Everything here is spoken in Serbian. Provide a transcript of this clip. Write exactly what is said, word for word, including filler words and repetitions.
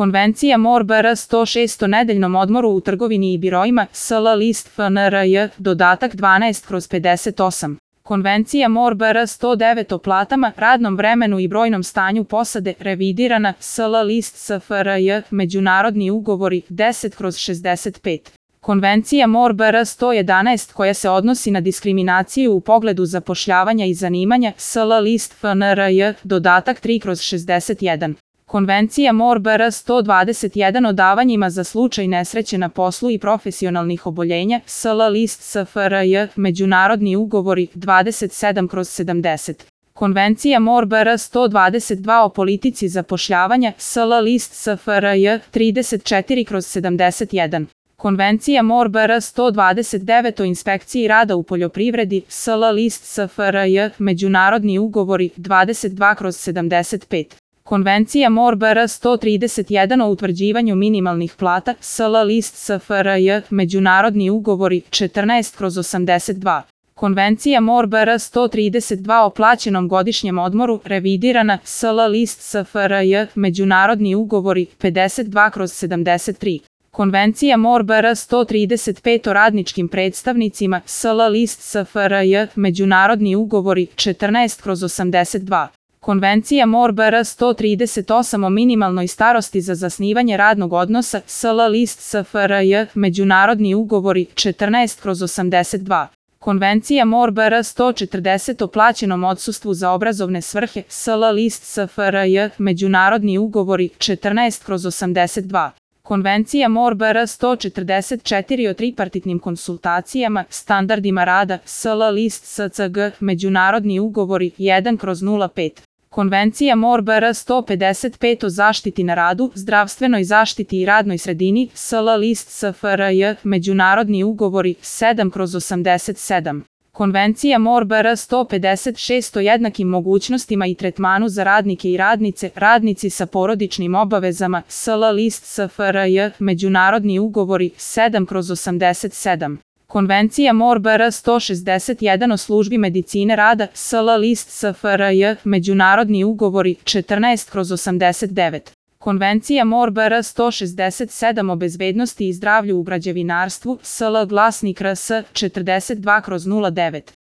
Konvencija M O R B R sto šest o nedeljnom odmoru u trgovini i biroima, S L list F N R J, dodatak dvanaest kroz pedeset osam. Konvencija M O R B R sto devet o platama, radnom vremenu i brojnom stanju posade, revidirana, S L list S F R J, međunarodni ugovori, deset kroz šezdeset pet. Konvencija M O R B R sto jedanaest koja se odnosi na diskriminaciju u pogledu zapošljavanja i zanimanja, S L list F N R J, dodatak tri kroz šezdeset jedan. Konvencija M O R B R sto dvadeset jedan o davanjima za slučaj nesreće na poslu i profesionalnih oboljenja, S L list S F R J, međunarodni ugovori, dvadeset sedam kroz sedamdeset. Konvencija M O R B R sto dvadeset dva o politici zapošljavanja, S L list S F R J, trideset četiri kroz sedamdeset jedan. Konvencija M O R B R sto dvadeset devet o inspekciji rada u poljoprivredi, S L list S F R J, međunarodni ugovori, dvadeset dva kroz sedamdeset pet. Konvencija M O R B R sto trideset jedan o utvrđivanju minimalnih plata, S L list S F R J, međunarodni ugovori, četrnaest kroz osamdeset dva. Konvencija M O R B R sto trideset dva o plaćenom godišnjem odmoru, revidirana, S L list S F R J, međunarodni ugovori, pedeset dva kroz sedamdeset tri. Konvencija M O R B R sto trideset pet o radničkim predstavnicima, S L list S F R J, međunarodni ugovori, četrnaest kroz osamdeset dva. Konvencija M O R B R sto trideset osam o minimalnoj starosti za zasnivanje radnog odnosa, S L list S F R J, međunarodni ugovori, četrnaest kroz osamdeset dva. Konvencija M O R B R sto četrdeset o plaćenom odsustvu za obrazovne svrhe, S L list S F R J, međunarodni ugovori, četrnaest kroz osamdeset dva. Konvencija M O R B R sto četrdeset četiri o tripartitnim konsultacijama, standardima rada, S L list S C G, međunarodni ugovori, jedan kroz nula pet. Konvencija M O R B R sto pedeset pet o zaštiti na radu, zdravstvenoj zaštiti i radnoj sredini, S L list S F R J, međunarodni ugovori, sedam kroz osamdeset sedam. Konvencija M O R B R sto pedeset šest o jednakim mogućnostima i tretmanu za radnike i radnice, radnici sa porodičnim obavezama, S L list S F R J, međunarodni ugovori, sedam kroz osamdeset sedam. Konvencija M O R B R sto šezdeset jedan o službi medicine rada, S L list S F R J, međunarodni ugovori, četrnaest kroz osamdeset devet. Konvencija M O R B R sto šezdeset sedam o bezbednosti i zdravlju u građevinarstvu, S L glasnik R S, četrdeset dva kroz nula devet.